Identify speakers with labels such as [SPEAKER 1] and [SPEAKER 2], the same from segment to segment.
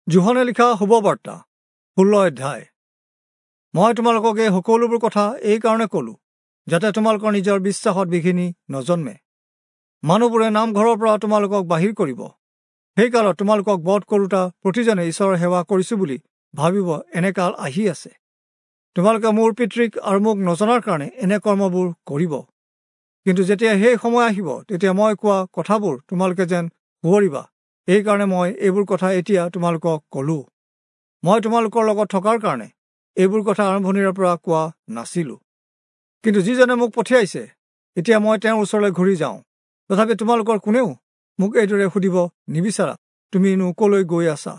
[SPEAKER 1] যোহনে লিখা শুভবাৰ্তা 16 অধ্যায়। মই তোমালোকক এই সকলোবোৰ কথা এই কাৰণে ক'লো যাতে তোমালোকৰ নিজৰ বিশ্বাসত বিঘিনি নজন্মে। মানুহবোৰে নামঘৰৰ পৰা তোমালোকক বাহিৰ কৰিব। সেই কালত তোমালোকক বধ কৰোঁতা প্ৰতিজনে ঈশ্বৰৰ সেৱা কৰিছোঁ বুলি ভাবিব, এনে কাল আহি আছে। তোমালোকে মোৰ পিতৃক আৰু মোক নজনাৰ কাৰণে এনে কৰ্মবোৰ কৰিব। কিন্তু যেতিয়া সেই সময় আহিব, তেতিয়া মই কোৱা কথাবোৰ তোমালোকে যেন সোঁৱৰিবা। এইকাৰণে মই এইবোৰ কথা এতিয়া তোমালোকক ক'লো। মই তোমালোকৰ লগত থকাৰ কাৰণে এইবোৰ কথা আৰম্ভণিৰে পৰা কোৱা নাছিলোঁ। কিন্তু যিজনে মোক পঠিয়াইছে, এতিয়া মই তেওঁৰ ওচৰলৈ ঘূৰি যাওঁ। তথাপি তোমালোকৰ কোনেও মোক এইদৰে সুধিব নিবিচাৰা, তুমিনো ক'লৈ গৈ আছা?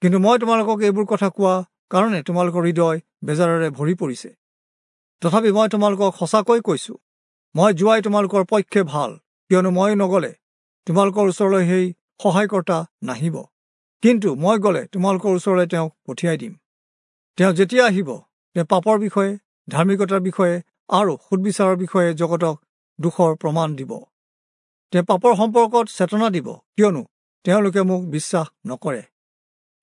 [SPEAKER 1] কিন্তু মই তোমালোকক এইবোৰ কথা কোৱা কাৰণে তোমালোকৰ হৃদয় বেজাৰেৰে ভৰি পৰিছে। তথাপি মই তোমালোকক সঁচাকৈ কৈছোঁ, মই যোৱাই তোমালোকৰ পক্ষে ভাল, কিয়নো মই নগ'লে তোমালোকৰ ওচৰলৈ সেই সহায়কৰ্তা নাহিব। কিন্তু মই গ'লে তোমালোকৰ ওচৰলৈ তেওঁক পঠিয়াই দিম। তেওঁ যেতিয়া আহিব, তেওঁ পাপৰ বিষয়ে, ধাৰ্মিকতাৰ বিষয়ে আৰু সুদবিচাৰৰ বিষয়ে জগতক দোষৰ প্ৰমাণ দিব। তেওঁ পাপৰ সম্পৰ্কত চেতনা দিব, কিয়নো তেওঁলোকে মোক বিশ্বাস নকৰে।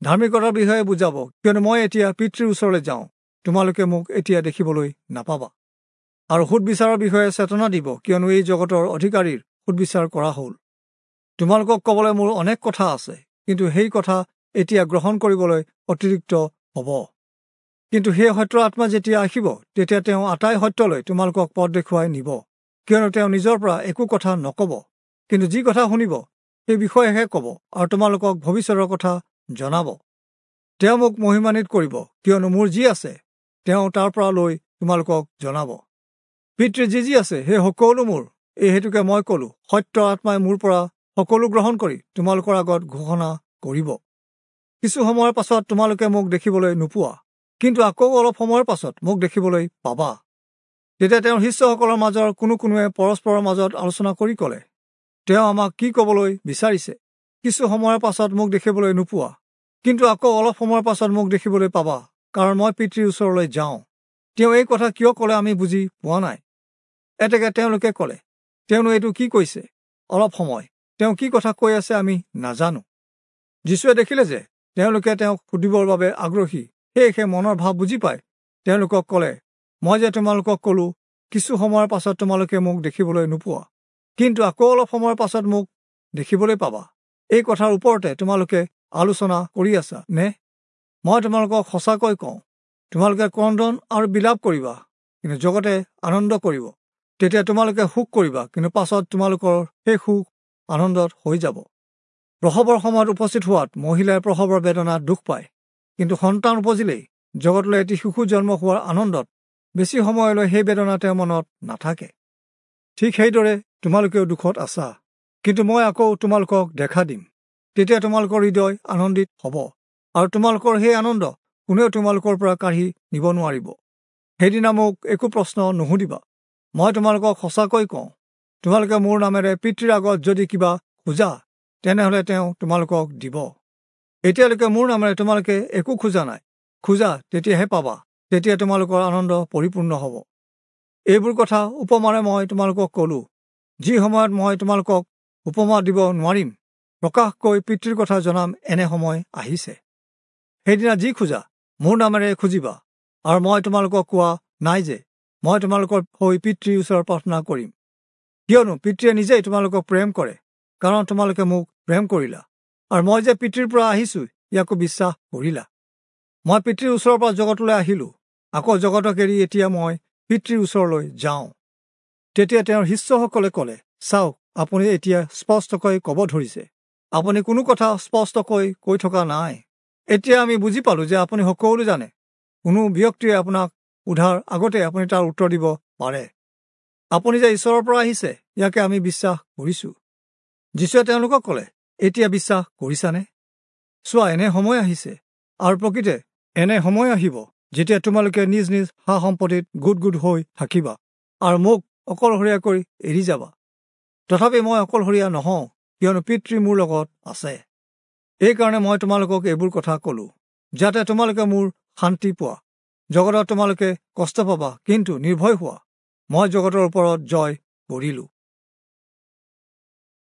[SPEAKER 1] ধাৰ্মিকতাৰ বিষয়ে বুজাব, কিয়নো মই এতিয়া পিতৃৰ ওচৰলৈ যাওঁ, তোমালোকে মোক এতিয়া দেখিবলৈ নাপাবা। আৰু সুদবিচাৰৰ বিষয়ে চেতনা দিব, কিয়নো এই জগতৰ অধিকাৰীৰ সুদবিচাৰ কৰা হ'ল। তোমালোকক ক'বলৈ মোৰ অনেক কথা আছে, কিন্তু সেই কথা এতিয়া গ্ৰহণ কৰিবলৈ অতিৰিক্ত হ'ব। কিন্তু সেই সত্য আত্মা যেতিয়া আহিব, তেতিয়া তেওঁ আটাই সত্যলৈ তোমালোকক পথ দেখুৱাই নিব, কিয়নো তেওঁ নিজৰ পৰা একো কথা নক'ব, কিন্তু যি কথা শুনিব সেই বিষয়েহে ক'ব আৰু তোমালোকক ভৱিষ্যতৰ কথা জনাব। তেওঁ মোক মহিমান্বিত কৰিব, কিয়নো মোৰ যি আছে তেওঁ তাৰ পৰা লৈ তোমালোকক জনাব। পিতৃৰ যি যি আছে সেই সকলো মোৰ, এই হেতুকে মই ক'লো, সত্য আত্মাই মোৰ পৰা সকলো গ্ৰহণ কৰি তোমালোকৰ আগত ঘোষণা কৰিব। কিছু সময়ৰ পাছত তোমালোকে মোক দেখিবলৈ নোপোৱা, কিন্তু আকৌ অলপ সময়ৰ পাছত মোক দেখিবলৈ পাবা। তেতিয়া তেওঁৰ শিষ্যসকলৰ মাজৰ কোনো কোনোৱে পৰস্পৰৰ মাজত আলোচনা কৰি ক'লে, তেওঁ আমাক কি ক'বলৈ বিচাৰিছে? কিছু সময়ৰ পাছত মোক দেখিবলৈ নোপোৱা, কিন্তু আকৌ অলপ সময়ৰ পাছত মোক দেখিবলৈ পাবা, কাৰণ মই পিতৃৰ ওচৰলৈ যাওঁ। তেওঁ এই কথা কিয় ক'লে আমি বুজি পোৱা নাই। এতেকে তেওঁলোকে ক'লে, তেওঁনো এইটো কি কৈছে? অলপ সময় তেওঁ কি কথা কৈ আছে আমি নাজানো। যীশুৱে দেখিলে যে তেওঁলোকে তেওঁক সুধিবৰ বাবে আগ্ৰহী, সেয়েহে মনৰ ভাৱ বুজি পাই তেওঁলোকক ক'লে, মই যে তোমালোকক ক'লো, কিছু সময়ৰ পাছত তোমালোকে মোক দেখিবলৈ নোপোৱা, কিন্তু আকৌ অলপ সময়ৰ পাছত মোক দেখিবলৈ পাবা। এই কথাৰ ওপৰতে তোমালোকে আলোচনা কৰি আছা নে? মই তোমালোকক সঁচাকৈ কওঁ, তোমালোকে ক্ৰন্দন আৰু বিলাপ কৰিবা, কিন্তু জগতে আনন্দ কৰিব। তেতিয়া তোমালোকে সুখ কৰিবা, কিন্তু পাছত তোমালোকৰ সেই সুখ আনন্দত হৈ যাব। প্ৰসৱৰ সময়ত উপস্থিত হোৱাত মহিলাই প্ৰসৱৰ বেদনাত দুখ পায়, কিন্তু সন্তান উপজিলেই জগতলৈ এটি শিশু জন্ম হোৱাৰ আনন্দত বেছি সময়লৈ সেই বেদনা তেওঁৰ মনত নাথাকে। ঠিক সেইদৰে তোমালোকেও দুখত আছা, কিন্তু মই আকৌ তোমালোকক দেখা দিম। তেতিয়া তোমালোকৰ হৃদয় আনন্দিত হ'ব, আৰু তোমালোকৰ সেই আনন্দ কোনেও তোমালোকৰ পৰা কাঢ়ি নিব নোৱাৰিব। সেইদিনা মোক একো প্ৰশ্ন নুসুধিবা। মই তোমালোকক সঁচাকৈ কওঁ, তোমালোকে মোৰ নামেৰে পিতৃৰ আগত যদি কিবা খোজা, তেনেহ'লে তেওঁ তোমালোকক দিব। এতিয়ালৈকে মোৰ নামেৰে তোমালোকে একো খোজা নাই, খোজা তেতিয়াহে পাবা, তেতিয়া তোমালোকৰ আনন্দ পৰিপূৰ্ণ হ'ব। এইবোৰ কথা উপমাৰে মই তোমালোকক ক'লো। যি সময়ত মই তোমালোকক উপমা দিব নোৱাৰিম, প্ৰকাশকৈ পিতৃৰ কথা জনাম, এনে সময় আহিছে। সেইদিনা যি খোজা মোৰ নামেৰে খুজিবা, আৰু মই তোমালোকক কোৱা নাই যে মই তোমালোকৰ হৈ পিতৃৰ ওচৰত প্ৰাৰ্থনা কৰিম, কিয়নো পিতৃয়ে নিজেই তোমালোকক প্ৰেম কৰে, কাৰণ তোমালোকে মোক প্ৰেম কৰিলা, আৰু মই যে পিতৃৰ পৰা আহিছোঁ ইয়াকো বিশ্বাস কৰিলা। মই পিতৃৰ ওচৰৰ পৰা জগতলৈ আহিলোঁ, আকৌ জগতক এৰি এতিয়া মই পিতৃৰ ওচৰলৈ যাওঁ। তেতিয়া তেওঁৰ শিষ্যসকলে ক'লে, চাওক, আপুনি এতিয়া স্পষ্টকৈ ক'ব ধৰিছে, আপুনি কোনো কথা স্পষ্টকৈ কৈ থকা নাই। এতিয়া আমি বুজি পালোঁ যে আপুনি সকলো জানে, কোনো ব্যক্তিয়ে আপোনাক সোধাৰ আগতে আপুনি তাৰ উত্তৰ দিব পাৰে। আপুনি যে ঈশ্বৰৰ পৰা আহিছে ইয়াকে আমি বিশ্বাস কৰিছোঁ। যীশুৱে তেওঁলোকক ক'লে, এতিয়া বিশ্বাস কৰিছানে? চোৱা, এনে সময় আহিছে, আৰু প্ৰকৃতে এনে সময় আহিব, যেতিয়া তোমালোকে নিজ নিজ সা সম্পত্তিত গোট গোট হৈ থাকিবা আৰু মোক অকলশৰীয়া কৰি এৰি যাবা। তথাপি মই অকলশৰীয়া নহওঁ, কিয়নো পিতৃ মোৰ লগত আছে। এইকাৰণে মই তোমালোকক এইবোৰ কথা ক'লো, যাতে তোমালোকে মোৰ শান্তি পোৱা। জগতত তোমালোকে কষ্ট পাবা, কিন্তু নিৰ্ভয় হোৱা, মই জগতৰ ওপৰত জয় কৰিলোঁ।